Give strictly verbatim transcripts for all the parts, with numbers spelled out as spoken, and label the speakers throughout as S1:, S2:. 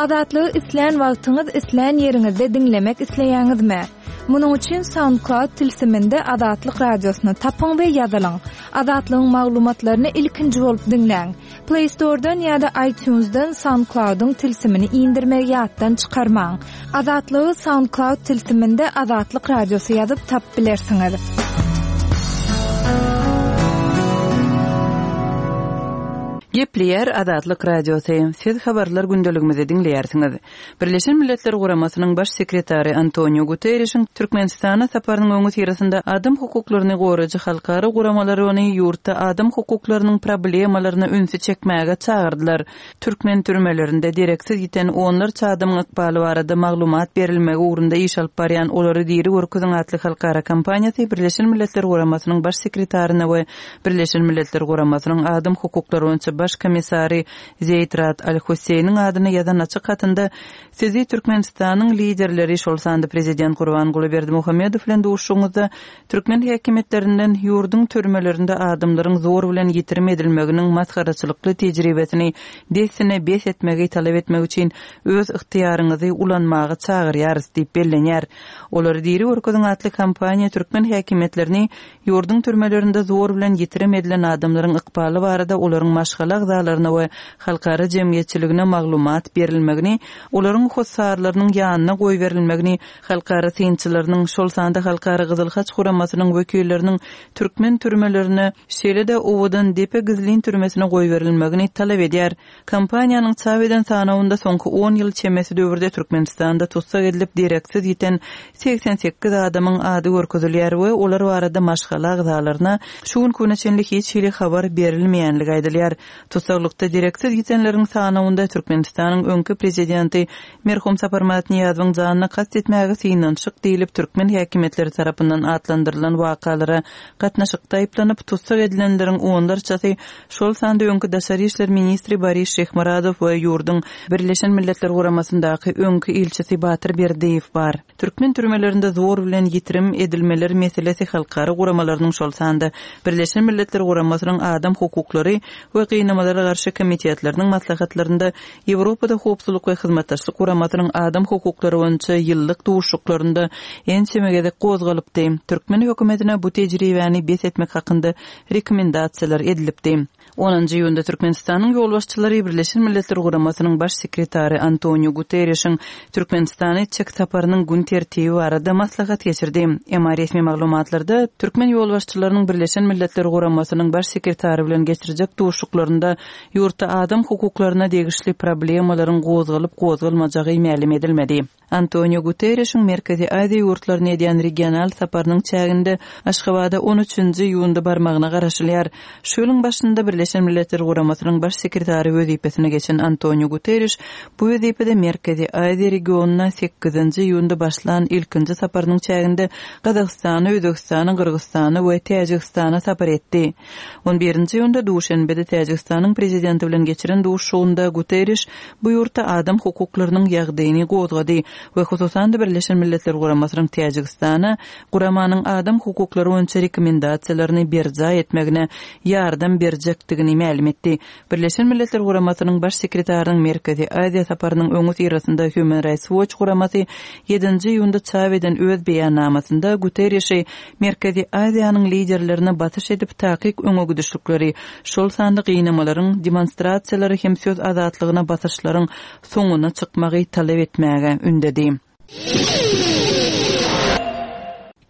S1: Azatlygy islän wagtyňyz, islän ýeriňizde diňlemek isleýäňizmi? Munuň üçin SoundCloud tilsiminde Azatlyk radiosyny tapyň we ýazylyň. Azatlygyň maglumatlaryny ilkinji bolup diňläň. Play Store'dan ýa-da iTunes'dan SoundCloud'yň tilsimini indirmegi ýatdan çykarmaň. Azatlygy SoundCloud tilsiminde Azatlyk radiosy ýazyp tapyp bilersiňiz.
S2: Gepleýär Azatlyk Radiosy. Siz habarlar gündeligimizi diňleýärsiňiz. Birleşen Milletler Guramasynyň baş sekretary Antonio Guterrişiň Türkmenistana saparynyň öňüsyrasynda adam hukuklaryny goraýjy halkara guramalary ony ýurtda adam hukuklarynyň problemalaryna ünsi çekmäge çagyrdylar. Türkmen türmelerinde dereksiz ýiten onlarça adamyň ykbaly barada maglumat berilmegi ugrunda iş alyp barýan Olary diri görkeziň atly halkara kampaniýasy Birleşen Milletler Guramasynyň baş sekretaryna we Birleşen Milletler Guramasynyň adam hukuklary boýunça baş komissary Zeýd Rad Al-Husseýniň adyna ýazan açyk hatynda sizi Türkmenistanyň liderleri, şol sanda prezident Gurbanguly Berdimuhamedow bilen duşuşygyňyzda türkmen häkimiýetlerinden ýurduň türmelerinde adamlaryň zor bilen ýitirim edilmeginiň masgaraçylykly tejribesini dessine bes etmegi talap etmek üçin öz ygtyýaryňyzy ulanmaga çagyrýarys diýip bellenýär. Olary diri görkeziň atly kampaniýa türkmen häkimiýetlerini ýurduň türmelerinde zor bilen ýitirim edilen adamlaryň ykbaly barada olaryň maşgala agzalaryna we halkara jemgyýetçiligine maglumat berilmegini, olaryň hossarlarynyň ýanyna goýberilmegini, halkara synçylarynyň, şol sanda Halkara Gyzyl Haç guramasynyň wekilleriniň türkmen türmelerine, şeýle-de Owadan depe gizlin türmesine goýberilmegini talap edýär. Kampaniýanyň çap eden sanawynda soňky on ýyl çemesi döwürde Türkmenistanda tussag edilip dereksiz ýiten segsen sekiz adamyň ady görkezilýär we olar barada maşgala agzalaryna şu günki güne çenli hiç hili habar berilmeýänligi aýdylýar. Tussaglykda dereksiz ýitenleriň sanawynda Türkmenistanyň öňki prezidenti merhum Saparmyrat Nyýazowyň janyna kast etmäge synanyşyk diýlip türkmen häkimiýetleri tarapyndan atlandyrylan wakalara gatnaşykda aýyplanyp tussag edilenleriň onlarçasy, şol sanda öňki daşary işler ministri Boris Şyhmyradow we ýurduň Birleşen Milletler Guramasyndaky öňki ilçisi Batyr Berdiýew bar. Türkmen türmelerinde zor bilen ýitirim edilmeler meselesi halkara guramalarynyň, şol sanda Birleşen Milletler Guramasynyň adam hukuklary we gynamalara garşy komitetleriniň maslahatlarynda, Ýewropada howpsuzlyk we hyzmatdaşlyk guramasynyň adam hukuklary boýunça ýyllyk duşuşyklarynda ençeme gezek gozgalypdy. Türkmen hökümetine bu tejribäni bes etmek hakynda rekomendasiýalar edilipdi. Onunjy iýunda Türkmenistanyň ýolbaşçylary Birleşen Milletler Guramasynyň baş sekretary Antonio Guterrişiň Türkmenistana etjek saparynyň gün tertibi barada maslahat geçirdi. Emma resmi maglumatlarda türkmen ýolbaşçylarynyň Birleşen Milletler Guramasynyň baş sekretary bilen geçirjek duşuşyklarynda ýurtda adam hukuklaryna degişli problemalaryň gozgalyp gozgalmajagy mälim edilmedi. Antonio Guterrişiň Merkezi Aziýa ýurtlaryna edýän regional saparynyň çäginde Aşgabada on üçünji iýunda barmagyna garaşylýar. Şu ýylyň başynda Birleşen Milletler Guramasynyň baş sekretary wezipesine geçen Antonio Guterriş bu wezipede Merkezi Aziýa regionyna sekizinji iýunda başlan ilkinji saparynyň çäginde Gazagystana, Özbegistana, Gyrgyzystana we Täjigistana sapar etdi. On birinji iýunda Duşenbede Täjigistanyň prezidenti bilen geçiren duşuşygynda Guterriş bu ýurtda adam hukuklarynyň ýagdaýyny gozgady we hususan-da Birleşen Milletler Guramasynyň Täjigistana guramanyň adam hukuklary boýunça rekomendasiýalaryny berjaý etmegine ýardam berjekdigini mälim etdi. Birleşen Milletler Guramasynyň baş sekretarynyň Merkezi Aziýa saparynyň öňüsyrasynda Human Rights Watch guramasy ýedinji iýunda çap eden öz beýannamasynda Guterrişi Merkezi Aziýanyň liderlerine basyş edip takyk öňe gidişlikleri, şol sanda gynamalaryň, demonstrasiýalary hem söz azatlygyna basyşlaryň soňuna çykmagy talap etmäge ündedi.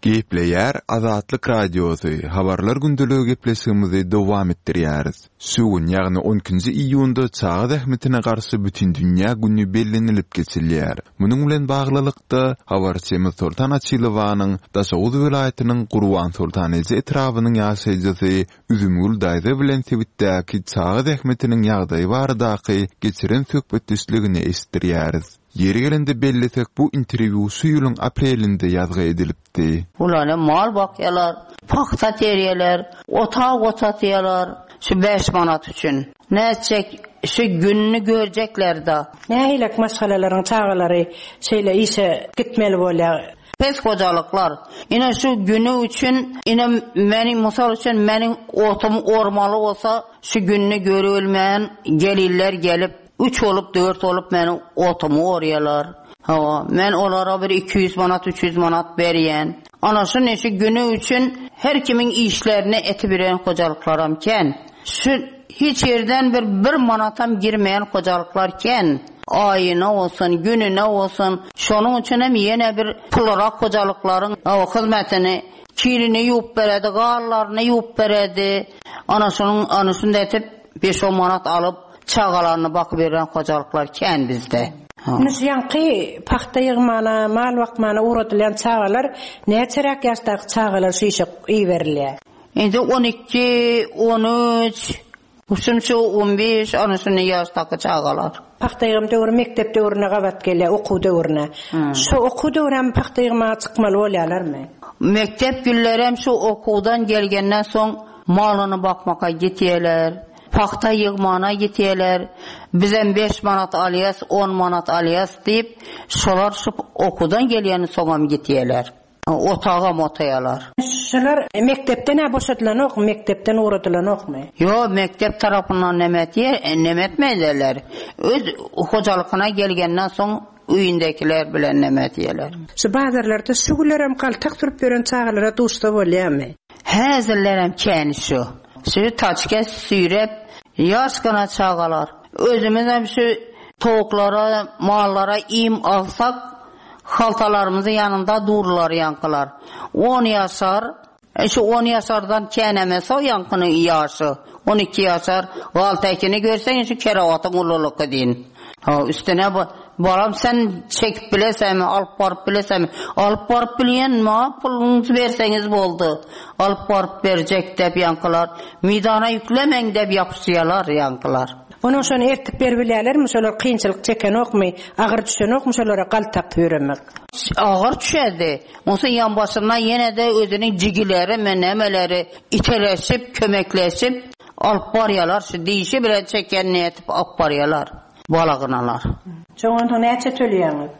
S3: Gepleýär Azatlyk Radiosy, habarlar gündeligi gepleşigimizi dowam etdirýäris. Şu gün, ýagny on ikinji iýunda çaga zähmetine garşy bütindünýä güni bellenilip geçilýär. Munuň bilen baglylykda habarçymyz Soltan Açylowanyň Daşoguz welaýatynyň Gurban Soltan eje etrabynyň ýaşaýjysy Üzümgül daýza bilen sebitdäki çaga zähmetiniň ýagdaýy baradaky geçiren söhbetdeşligini eşitdirýäris. Ýeri gelende bellesek, bu interwýu şu ýylyň aprelinde ýazgy edilipdi.
S4: Ulany mal bakýarlar, paxta terýärler, otag otatýarlar şu beş manat üçin. Näçe şu gününi görjekler da.
S5: Nähilek maşgalalaryň çagalary şeýle işe gitmeli bolýar.
S4: Pes hojalyklar. Ine şu günü üçin, ine meni musal üçin meniň otum ormaly bolsa şu gününi görülmeýän geliller gelip Üç bolup, dört bolup meniň otumy orýarlar. Hawa, men olara bir iki ýüz manat, üç ýüz manat berýän. Ana şu neşe güni üçin her kimiň işlerini etibiren hojalyklaram kän. Şu hiç ýerden bir bir manatam girmeýän hojalyklar kän. Aýyna bolsun, gününe bolsun. Şonuň üçin hem ýene bir pulrak hojalyklaryň hyzmatyny kirini ýuwup beredi, gallaryny ýuwup beredi. Ana şonuň ana şunda etip beş-on manat alyp çagalaryny bakyp ýören hojalyklar kän bizde.
S5: Indi şu ýaňky pagta ýygmana, mal bakmana ugradylýan çagalar näçeräk ýaşdaky çagalar şu işe iberilýär?
S4: Indi on iki, on üç, şunça on beş, ana şunda ýaşdaky çagalar.
S5: Pagta ýygym döwri mekdep döwrüne gabat gelýär, okuw döwrüne. Şu okuw döwri hem pagta ýygmaga çykmaly bolýarlarmy?
S4: Mekdep günlerem şu okuwdan gelgenden soň malyny bakmaka gitýärler. Pagta ýygmana gitýärler. Bizem beş manat alýas, on manat alýas diýip, şolar şu okuwdan gelýäni soňam gitýärler. Otagam otaýarlar.
S5: Şolar mekdepden-ä boşadylanokmy, mekdepden ugradylanokmy?
S4: Ýok, mekdep tarapyndan neme etýär, neme etmeýärler. Öz hojalykyna gelgenden soň öýündekiler bilen neme etýärler.
S5: Şu bazarlarda şu günlerem galtak sürüp ýören çagalara duşsa bolýarmy?
S4: Häzirlerem kän şu. Şu taçka süýrep, ýaşgana çagalar. Özümizem şu towuklara, mallara iým alsak, haltalarymyzyň ýanynda durlar ýaňkylar. On ýaşar, e, şu on ýaşardan känemese o ýaňkynyň ýaşy. On iki ýaşar, galtakini görseň şu kerewatyň ululygy diýin. Ha, üstüne bu, balam sen çekip bilesenmi, alyp baryp bilesenmi? Alyp baryp bilýän, ma puluňyzy berseňiz boldy. Alyp baryp berjek dep ýaňkylar. Meýdana ýüklemäň dep ýapyşýarlar ýaňkylar.
S5: Onuň şony ertip berip bilýärlermi? Şolar kynçylyk çekenokmy, agyr düşenokmy şolara galtak ýöremek?
S4: Agyr düşerdi. Onsoň ýan başyndan ýene-de özüniň jigileri, men nämeleri iteleşip, kömekleşip alyp barýarlar. Şu dişi bilen çeken nätip alyp barýarlar. Balagynalar.
S5: Çoňonsoň näçe töleýäňiz?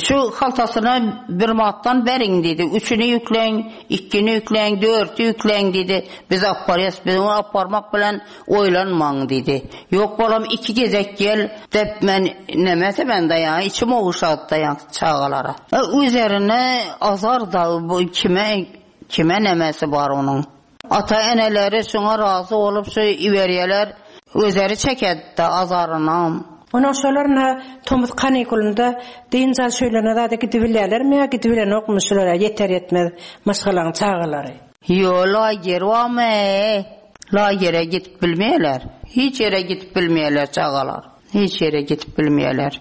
S4: Şu haltasyna bir manatdan beriň diýdi. Üçüni ýükläň, ikini ýükläň, dörti ýükläň diýdi. Biz alyp barýas, biz ony alyp barmak bilen oýlanmaň diýdi. Ýok bolam iki gezek gel dep men nemese ben daýan, içim oguşady daýan çagalara. E, üzerine azar da bu kime, kime nemesi bar onuň. Ata eneleri şoňa razy bolup şu iberýärler, özleri çekedi azaryny.
S5: Onuň şolaryna tomus kanikulunda dynç alyş öýlerine zada gidip bilýärlermi ýa gidip bilenokmy şulara ýeter ýetmez maşgalaň çagalary?
S4: Ýo, lager barmy? Lagere gidip bilmeýärler. Hiç ýere gidip bilmeýärler çagalar. Hiç ýere gidip bilmeýärler.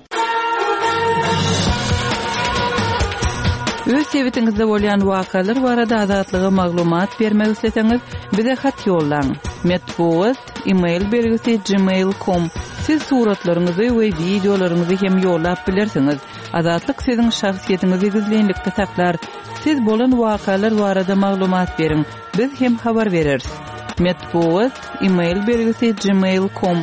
S2: Öz sebitiňizde bolýan wakalar barada Azatlyga maglumat bermek isleseňiz, bize hat ýollaň. Metbugat, e-mail belgisi gmail nokta com. Siz suratlaryňyzy we wideolaryňyzy hem ýollap bilersiňiz. Azatlyk siziň şahsyýetiňizi gizlinlikde saklar. Siz bolan wakalar barada maglumat beriň. Biz hem habar bereris. Metbugat, e-mail belgisi gmail nokta com.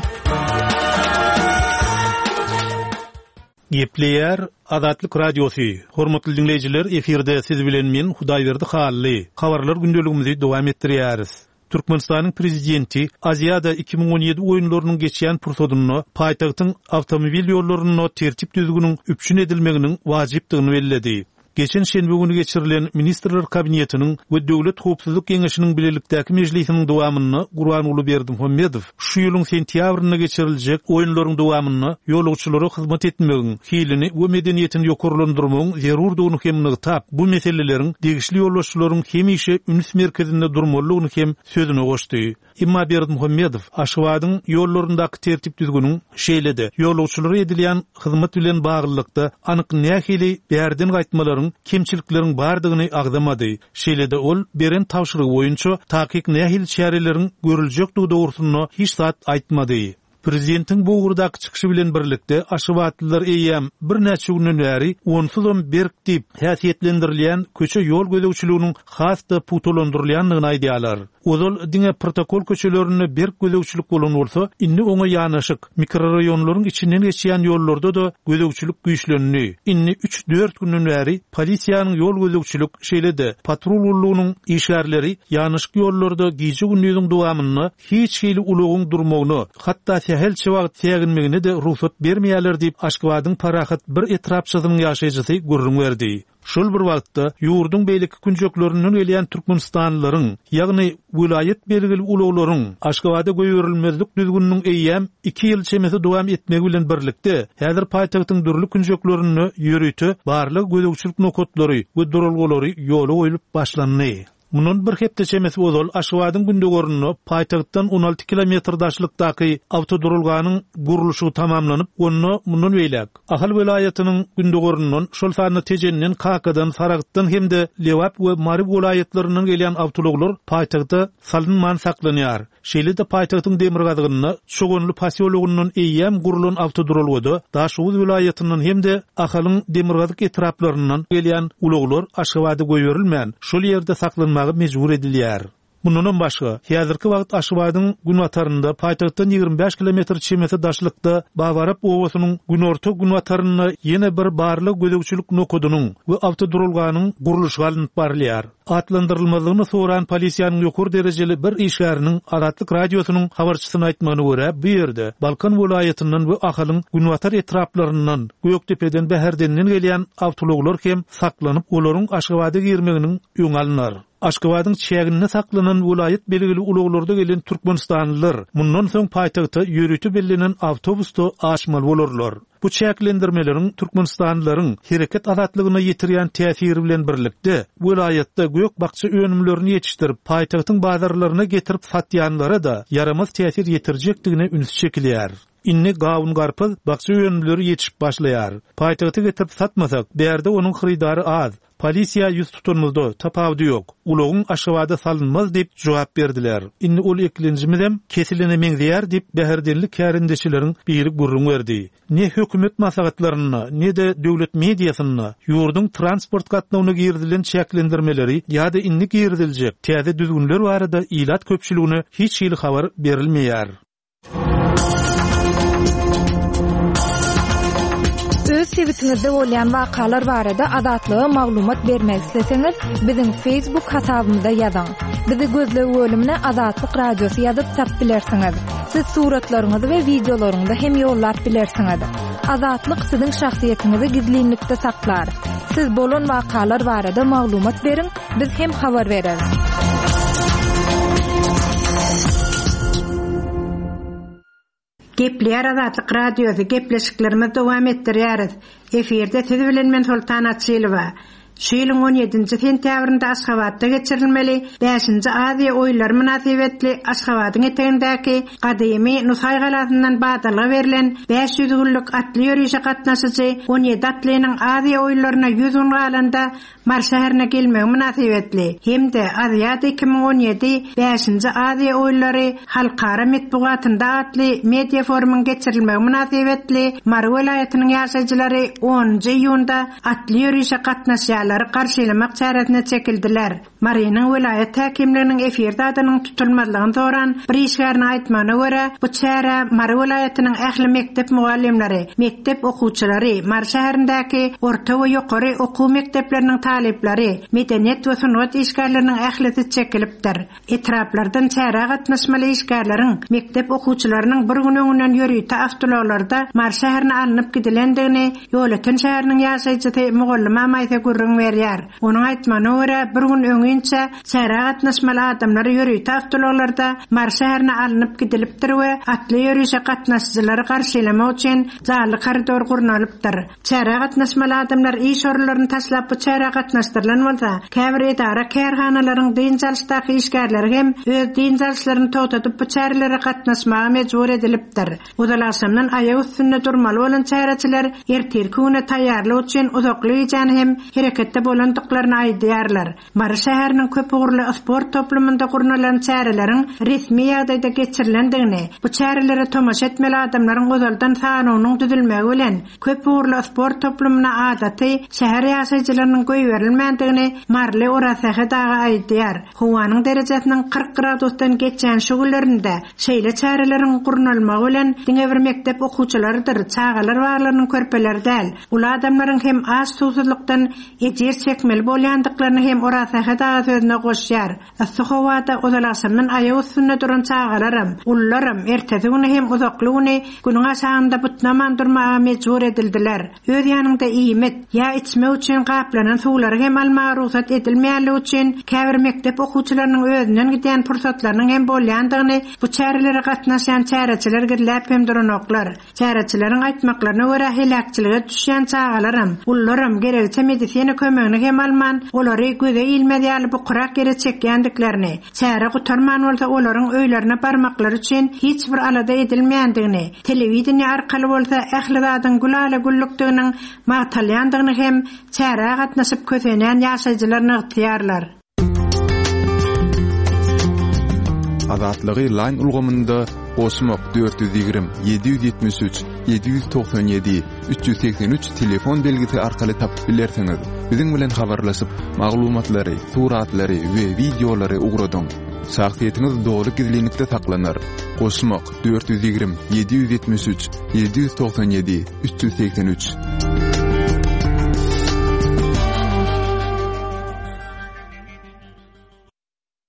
S6: Gepleýär Azatlyk Radiosy. Hormatly dinleýjiler, efirde siz bilen men Hudaýberdi Hally. Habarlar gündeligimizi dowam etdirýäris. Türkmenistanyň prezidenti Aziýada iki müň on ýedi oýunlarynyň geçýän pursadynda paýtagtyň awtomobil ýollarynda tertip düzgüniniň üpjün edilmeginiň wajypdygyny belledi. Geçen şenbe günü geçirilen Ministrler Kabinetiniň we Döwlet Howpsuzlyk Geňeşiniň bilelikdäki mejlisiniň dowamynda Gurbanguly Berdimuhamedow şu ýylyň sentýabrynda geçiriljek oýunlaryň dowamynda ýolagçylara hyzmat etmegiň, hilini we medeniýetini ýokarlandyrmagyň zerurdygyny hem nygtap, bu meseleleriň degişli ýolagçylaryň hemişe üns merkezinde durmalydygyny hem sözüne goşdy. Emma Berdimuhamedow Aşgabadyň ýollaryndaky tertip düzgüniniň şeýle-de ýolagçylara edilýän hyzmat bilen baglylykda anyk nähili bärden gaýtmalaryň, kemçilikleriň bardygyny agzamady. Şeýle-de ol beren tabşyrygy boýunça takyk nähili çäreleriň görüljekdigi dogrusynda hiç zat aýtmady. Prezidentiň bu ugurdaky çykyşy bilen birlikde Aşgabatlylar eýýäm birnäçe günden bäri onsuzam berk diýip häsiýetlendirilýän köçe ýol gözegçiliginiň has-da pugtalandyrylýandygyny aýdýarlar. Ozal diňe protokol köçelerinde berk gözegçilik bolan bolsa, indi oňa ýanaşyk mikrorayonlaryň içinden geçýän ýollarda da gözegçilik güýçlendi. Indi üç-dört günden bäri polisiýanyň ýol gözegçilik, şeýle-de patrul gullugynyň işgärleri ýanaşyk ýollarda gije-gündüziň dowamynda hiç hili ulagyň durmagyna, hatda sähelçe wagt säginmegine-de rugsat bermeýärler diýip, Aşgabadyň Parahat bir etrapçasynyň ýaşaýjysy gürrüň berdi. Şol bir wagtda ýurduň beýleki künjeklerinden gelýän türkmenistanlylaryň, ýagny welaýat belgili ulaglaryň Aşgabada goýberilmezlik düzgüniniň eýýäm iki ýyl çemesi dowam etmegi bilen birlikde, häzir paýtagtyň dürli künjeklerinde ýörite barlag gözegçilik nokatlary we duralgalary ýola goýlup başlandy. Mundan bir hepde çemesi ozal Aşgabadyň gündogarynda paýtagtdan on alty kilometr daşlykdaky awtoduralganyň gurluşygy tamamlanyp, onda mundan beýläk Ahal welaýatynyň gündogaryndan, şol sanda Tejenden, Kakadan, Saragtdan hem-de Lebap we Mary welaýatlaryndan gelýän awtoulaglar paýtagta salynman saklanýar. Şeýle-de paýtagtyň demirgazygynda Çoganly posýologyndan eýýäm gurulan awtoduralgada Daşoguz welaýatyndan hem-de Ahalyň demirgazyk etraplaryndan gelýän ulaglar Aşgabada goýberilmän, şol ýerde saklanmaga mejbur edilýär. Mundan başga, häzirki wagt Aşgabadyň günbatarynda paýtagtdan ýigrimi bäş kilometr çemesi daşlykda Babarap obasynyň günorta günbatarynda ýene bir barlag gözegçilik nokadynyň we awtoduralganyň gurluşygy alnyp barylýar. Atlandyrylmazlygyny soran polisiýanyň ýokary derejeli bir işgäriniň Azatlyk radiosynyň habarçysyna aýtmagyna görä, bu ýerde Balkan welaýatyndan we Ahalyň günbatar etraplaryndan, Gökdepeden, Bäherdenden gelýän awtoulaglar hem saklanyp, olaryň Aşgabada girmeginiň öňi alynar. Aşgabadyň çäginde saklanan welaýat belgili ulaglarda gelen türkmenistanlylar mundan soň paýtagta ýörite bellenen awtobusda aşmaly bolarlar. Bu çäklendirmeleriň türkmenistanlylaryň hereket azatlygyna ýetirýän täsiri bilen birlikde welaýatda gök bakja önümlerini ýetişdirip, paýtagtyň bazarlaryna getirip satýanlara da ýaramaz täsir ýetirjekdigine üns çekilýär. Indi gawun garpyz bakja önümleri ýetişip başlaýar. Paýtagta getirip satmasak, bärde onuň hyrydary az. Polisiýa ýüz tutanymyzda tapawudy ýok. Ulagyň Aşgabada salynmaz diýip jogap berdiler. Indi ol eklenjimizem kesilene meňzeýär diýip Bäherdenli kärendeçileriň biri gürrüň berdi. Ne hökümet maslahatlarynda, ne de döwlet mediasynda ýurduň transport gatnawyna girizilen çäklendirmeleri ýa-da indi giriziljek täze düzgünler barada ilat köpçüligine hiç hili habar berilmeýär.
S1: Öz sebitiňizde bolýan wakalar barada Azatlyga maglumat bermek isleseňiz, biziň Facebook hasabymyza ýazyň. Bizi gözleg bölümine Azatlyk Radiosy ýazyp tap bilersiňiz. Siz suratlaryňyzy we wideolaryňyzy hem ýollap bilersiňiz. Azatlyk siziň şahsyýetiňizi gizlinlikde saklar. Siz bolan wakalar barada maglumat beriň, biz hem habar bereris.
S5: Gepleýär Azatlyk Radiosy, gepleşiklerimizi dowam etdirýäris. Efirde siz bilen men Sultan Açylowa. Şu ýylyň on ýedinji sentýabrynda Aşgabatda geçirilmeli bäşinji Aziýa oýunlary mynasybetli Aşgabadyň etegindäki gadymy Nusaý galasyndan badalga berlen bäş ýüz günlük atly ýörişe gatnaşyjy on ýedi atlynyň Aziýa oýunlaryna ýüz gün galanda Mary şäherine gelmegi mynasybetli hem-de Aziýada iki müň on ýedi bäşinji Aziýa oýunlary halkara metbugatynda atly media forumyň geçirilmegi mynasybetli Mary welaýatynyň ýaşaýjylary onunjy iýunda atly ýörişe gatnaşýanlary garşylamak çäresine çekildiler. Marynyň welaýat häkimliginiň efirde adynyň tutulmazlygyny soran bir işgärine aýtmagyna görä, bu çäre Mary welaýatynyň ähli mekdep mugallymlary, mekdep okuwçylary, Mary şäherindäki orta we ýokary okuw mekdepleriniň talyplary, medeniýet we sungat işgärleriniň ählisi çekilipdir. Etraplardan çärä gatnaşmaly işgärleriň mekdep okuwçylarynyň bir gün öňünden ýörite awtoulaglarda Mary şäherine alnyp gidilendigini Ýolöten şäheriniň ýaşaýjysy Mugallyma Maýsa gürrüň berýär. Onuň aýtmagyna görä, bir gün öňinçe çärä gatnaşmaly adamlar ýörite awtoulaglarda Mary şäherine alnyp gidilipdir we atly ýörişe gatnaşyjylary garşylamak üçin janly koridor gurnalypdyr. Çärä gatnaşmaly adamlar iş orunlaryny taşlap bu çärä gatnaşdyrylan bolsa, käbir edara kärhanalaryň dynç alyşdaky işgärleri hem öz dynç alyşlaryny togtadyp bu çärelere gatnaşmaga mejbur edilipdir. Ozal agşamdan aýak üstünde durmaly bolan çäreçiler ertirki güne taýýarlyk üçin uzakly gijäni hem hereketde bolandyklaryny aýdýarlar. Mary şäheriniň köp ugurly sport toplumynda gurnalan çäreleriň resmi ýagdaýda geçirilendigini, bu çärelere tomaşa etmeli adamlaryň ozaldan sanynyň düzülmegi bilen köp ugurly sport toplumyna adaty şäher ýaşaýjylarynyň goýberilmändigini Maryly Orasähet aga aýdýar. Howanyň derejesiniň kyrk gradusdan geçýän şu günlerinde şeýle çäreleriň gurnalmagy bilen diňe bir mekdep okuwçylarydyr, çagalar baglarynyň körpeleri däl, uly adamlaryň hem aç suwsuzlykdan ejir çekmeli bolýandyklaryny hem Orazsähet aga sözüne goşýar. Yssy howada ozal agşamdan aýak üstünde duran çagalaram, ulularam ertesi güni hem uzakly güni günüň aşagynda butnaman durmaga mejbur edildiler. Öz ýanyňda iýmit ýa içmek üçin gaplanan suwlary hem almaga rugsat edilmeýänligi üçin käbir mekdep okuwçylarynyň özünden gidýän pursatlarynyň hem bolýandygyny bu çärelere gatnaşýan çäreçiler gizläp hem duranoklar. Çäreçileriň aýtmaklaryna görä heläkçilige düşýän çagalaram, ulularam gerekçe medisina kömegini hem alman, olary göze ilmez ýaly bukurak ýere çekýändiklerini, çäre gutarman bolsa olaryň öýlerine barmaklary üçin hiç bir alada edilmeýändigini, telewideniýe arkaly bolsa ähli zadyň gülala güllükdiginiň magtalýandygyny hem çärä gatnaşyp kösenýän ýaşaýjylar nygtaýarlar.
S3: Azatlygy Line ulgamynda goşmak dört ýüz ýigrimi, ýedi ýüz ýetmiş üç, ýedi ýüz togsan ýedi, üç ýüz segsen üç telefon belgisi arkaly tapyp bilersiňiz. Biziň bilen habarlaşyp, maglumatlary, suratlary we wideolary ugradyň. Şahsyýetiňiz doly gizlinlikde saklanar. Goşmak dört ýüz ýigrimi, ýedi ýüz ýetmiş üç, ýedi ýüz togsan ýedi, üç ýüz segsen üç.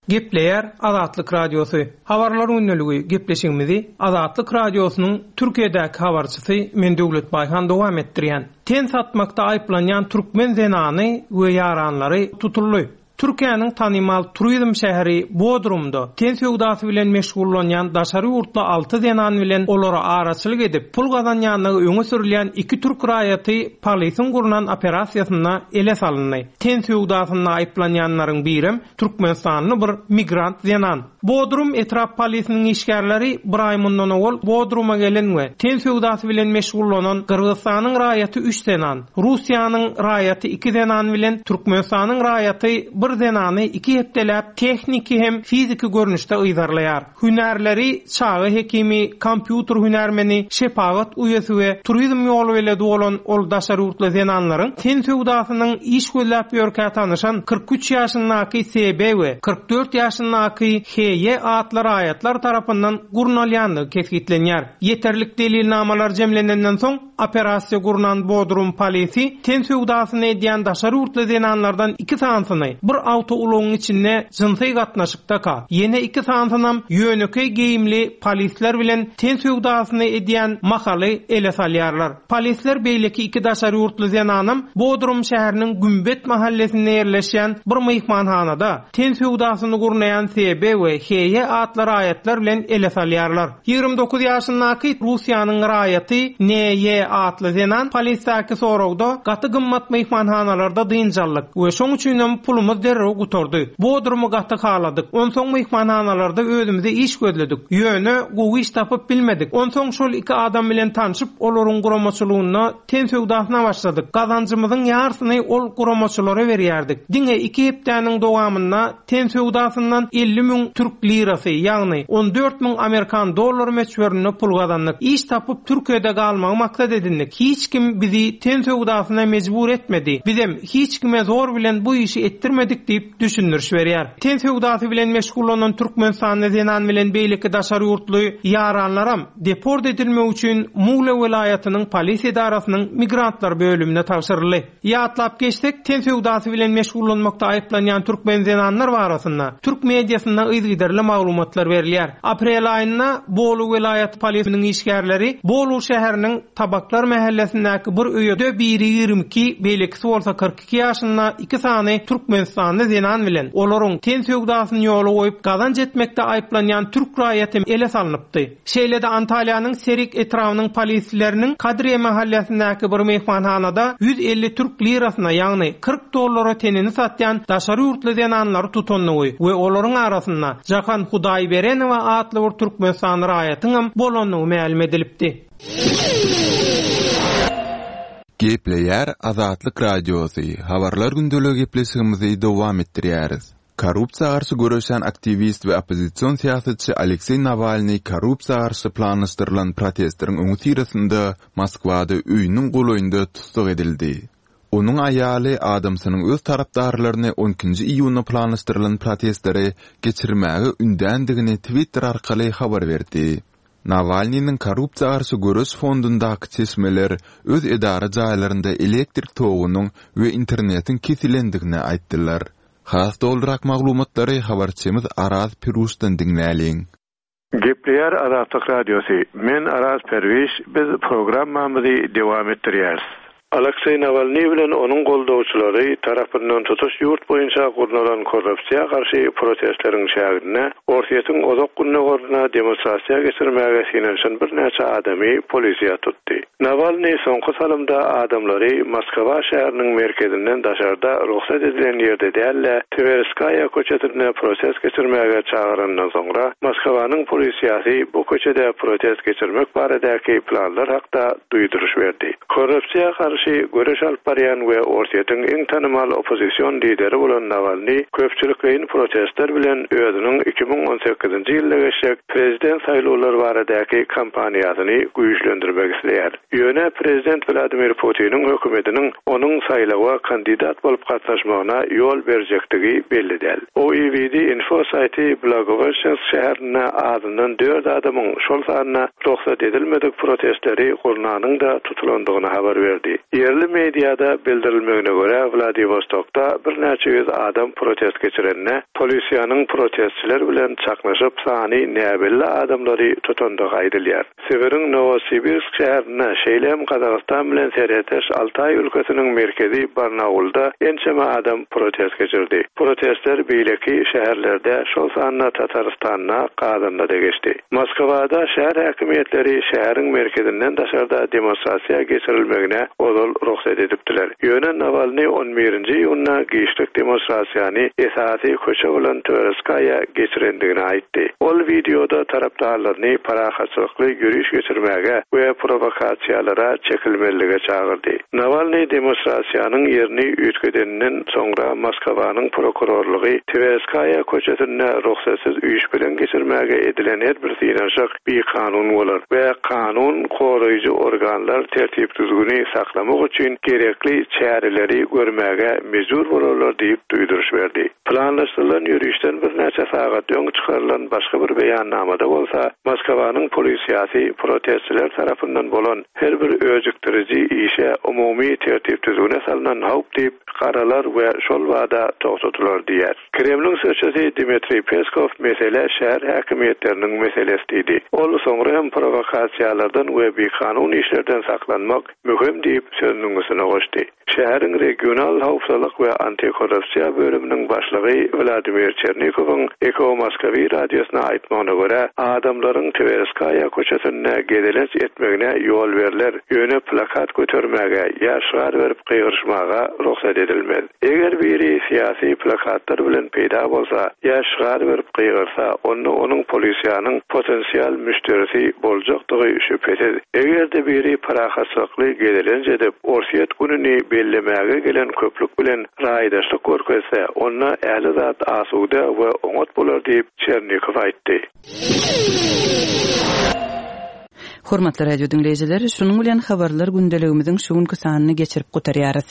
S7: Gepleýär Azatlyk Radiosy. Habarlar gündeligi gepleşigimizi Azatlyk Radiosynyň Türkiýedäki habarçysy men Döwlet Baýhan dowam etdirýän. Ten satmakda aýyplanýan türkmen zenany we ýaranlary tutuldy. Türkiýäniň tanymal turizm şäheri Bodrumda ten söwdasy bilen meşgullanýan daşary ýurtly alty zenan bilen olara araçylyk edip pul gazanýanlygy öňe sürülýän iki türk raýaty polisiň gurnan operasiýasynda ele salyndy. Ten söwdasynda aýyplanýanlaryň birem Türkmenistanly bir migrant zenan. Bodrum etrap polisiniň işgärleri bir aý mundan owal Bodruma gelen we ten söwdasy bilen meşgullanan Gyrgyzystanyň raýaty üç zenan, Russiýanyň raýaty iki zenan bilen Türkmenistanyň raýaty bir zenany iki hepdeläp tehniki hem fiziki görnüşde yzarlaýar. Hünärleri çaga hekimi, kompýuter hünärmeni, şepagat uýasy we turizm ýoly beledi bolan ol daşary ýurtly zenanlaryň ten söwdasynyň iş gözläp ýörkä tanyşan kyrk üç ýaşyndaky S B we kyrk dört ýaşyndaky H Y atly raýatlar tarapyndan gurnalýandygy kesgitlenýär. Ýeterlik delilnamalar jemlenenden soň operasiýa gurnan Bodrum polisi ten söwdasyny edýän daşary ýurtly zenanlardan iki sanysyny bir awtoulagyň içinde jynsy gatnaşykdaka, ýene iki sanysynam ýönekeý geýimli polisler bilen ten söwdasyny edýän mahaly ele salýarlar. Polisler beýleki iki daşary ýurtly zenanam Bodrum şäheriniň Gümbet mahallesinde ýerleşýän bir myhmanhanada ten söwdasyny gurnaýan S B we H Y atly raýatlar bilen ele salýarlar. Ýigrimi dokuz ýaşyndaky Russiýanyň raýaty N Y atly zenan polisdäki soragda gaty gymmat myhmanhanalarda dynjallyk we şoň üçinem pulumyz derrew gutardy. Bodrumy gaty haladyk. Onsoň myhmanhanalarda özümize iş gözledik. Ýöne gowy iş tapyp bilmedik. Onsoň şol iki adam bilen tanşyp, olaryň guramaçylygynda ten söwdasyna başladyk. Gazanjymyzyň ýarsyny ol guramaçylara berýärdik. Diňe iki hepdäniň dowamynda ten söwdasyndan elli müň türk lirasy, ýagny on dört müň Amerikan dollary möçberinde pul gazandyk. Iş tapyp Türkiýede galmagy maksat edindik. Hiç kim bizi ten söwdasyna mejbur etmedi. Bizem hiç kime zor bilen bu işi etdirmedik diýip düşündiriş berýär. Ten söwdasy bilen meşgullanan Türkmenistanly zenan bilen beýleki daşary ýurtly ýaranlaram deport edilmek üçin Muğla welaýatynyň polis edarasynyň migrantlar bölümine tabşyryldy. Ýatlap geçsek, ten söwdasy bilen meşgullanmakda aýyplanýan türkmen zenanlar barasynda türk mediasynda yzygiderli maglumatlar berilýär. Aprel aýynda Bolu welaýaty polisiniň işgärleri Bolu şäheriniň Tabaklar mahallesindäki bir öýde biri ýigrimi iki, beýlekisi bolsa kyrk iki ýaşynda iki sany Türkmenistanly zenan bilen olaryň ten söwdasyny ýola goýup gazanç etmekde aýyplanýan türk raýaty ele salnypdy. Şeýle-de Antalýanyň Serik etrabynyň polisleriniň Kadriye mahallesindäki bir myhmanhanada ýüz elli türk lirasyna, ýagny kyrk dollara tenini satýan daşary ýurtly zenanlary tutandygy we olaryň arasynda Jahan Hudaýberenowa atly bir Türkmenistanly raýatyň bolandygy mälim edilipdi.
S3: Gepleýär Azatlyk Radiosy. Habarlar gündeligi gepleşigimizi dowam etdirýäris. Korrupsiýa garşy göreşen aktiwist we oppozision syýasatçy Alekseý Nawalny korrupsiýa garşy planlaşdyrylan protestleriň öňüsyrasynda Moskwada öýüniň golaýynda tussag edildi. Onuň aýaly adamsynyň öz tarapdarlaryny on ikinji iýunda planlaşdyrylan protestleri geçirmäge ündändigini Twitter arkaly habar berdi. Nawalnynyň korrupsiýa garşy göreş fondundaky çeşmeler öz edara jaýlarynda elektrik togunyň we internetiň kesilendigini aýtdylar. Has dolurak maglumatlary habarçymyz Araz Piruşdan diňläliň.
S8: Gepleýär Azatlyk Radiosy. Men Araz Perwiş, biz programmamyzy dowam etdirýäris. Alekseý Nawalny bilen onuň goldawçylary tarapyndan tutuş ýurt boýunça gurnalan korrupsiýa garşy protestleriň çäginde Orsýetiň uzak gündogarynda demonstrasiýa geçirmäge synanyşan birnäçe adamy polisiýa tutdy. Nawalny soňky salymda adamlary Moskwa şäheriniň merkezinden daşarda rugsat edilen ýerde däl-de, Twerskaýa köçesinde protest geçirmäge çagyrandan soňra Moskwanyň polisiýasy bu köçede protest geçirmek baradaky planlar hakda duýduryş berdi. Korrupsiýa garşy göreş alyp barýan we Orsýetiň iň tanymal oppozision lideri bolan Nawalny köpçülikleýin protestler bilen özüniň iki müň on sekizinji ýylda geçjek prezident saýlawlary baradaky kampaniýasyny güýçlendirmek isleýär. Ýöne prezident Wladimir Putiniň hökümetiniň onuň saýlawa kandidat bolup gatnaşmagyna ýol berjekdigi belli däl. O E V D Info saýty Blagoweşçensk şäherinde azyndan dört adamyň şol sanda rugsat edilmedik protestleri gurnanyň-da tutulandygyny habar berdi. Ýerli mediada bildirilmegine görä Wladivostokda birnäçe ýüz adam protest geçirende polisiýanyň protestçiler bilen çaknyşyp sany näbelli adamlary tutandygy aýdylýar. Sibiriň Novosibirsk şäherinde şeýle hem Gazagystan bilen serhetdeş Altaý ülkesiniň merkezi Barnaulda ençeme adam protest geçirdi. Protestler beýleki şäherlerde, şol sanda Tatarystanda, Kazanda da geçdi. Moskwada şäher häkimiýetleri şäheriň merkezinden daşarda demonstrasiýa geçirilmegine ozal rugsat edipdiler. Ýöne Nawalny on birinji iýunda giçlik demonstrasiýany esasy köçe bolan Twerskaýa geçirendigini aýtdy. Ol wideoda tarapdarlaryny parahatçylykly ýöriş geçirmäge we provokasiýalara çekilmelilige çagyrdy. Nawalny demonstrasiýanyň ýerini üýtgedeninden soňra Moskwanyň prokurorlygy Twerskaýa köçesinde rugsatsyz üýş bilen geçirmäge edilen her bir synanyşyk bikanun bolar we kanun goraýjy organlar tertip düzgüni saklamak üçin gerekli çäreleri görmäge mejbur bolarlar diýip duýduryş berdi. Planlaşdyrylan ýörişden birnäçe sagat öň çykarylan başga bir beýannamada bolsa, Moskwanyň polisiýasy protestçiler tarapyndan bolan her bir öjükdiriji işe umumy tertip düzgüne salynan howp diýip garalar we şol bada togtadylar diýär. Kremliň sözçüsi Dmitriý Peskow mesele şäher häkimiýetleriniň meselesi diýdi. Ol soňra hem provokasiýalardan we bikanun işlerden saklanmak möhüm diýip sözüniň üstüne goşdy. Şäheriň regional howpsuzlyk we antikorrupsiýa bölüminiň başlygy Wladimir Çernikowyň Eko Moskwi radiosyna aýtmagyna görä, adamlaryň Twerskaýa köçesinde gezelenç etmegine ýol berler, ýöne plakat götermäge ýa şygar berip gygyryşmaga rugsat edilmez. Eger biri syýasy plakatlar bilen peýda bolsa, ýa şygar berip gygyrsa, onda onuň polisiýanyň potensial müşderisi boljakdygy şübhesiz. Eger-de biri parahatçylykly gezelenç edip, Orsýet gününi bellemäge gelen köplük bilen raýdaşlyk görkezse, onda ähli zat asuda we oňat bolar diýip Çernikow aýtdy.
S2: Hormatly radio diňleýjiler, şunuň bilen habarlar gündeligimiziň şu günki sanyny geçirip gutarýarys.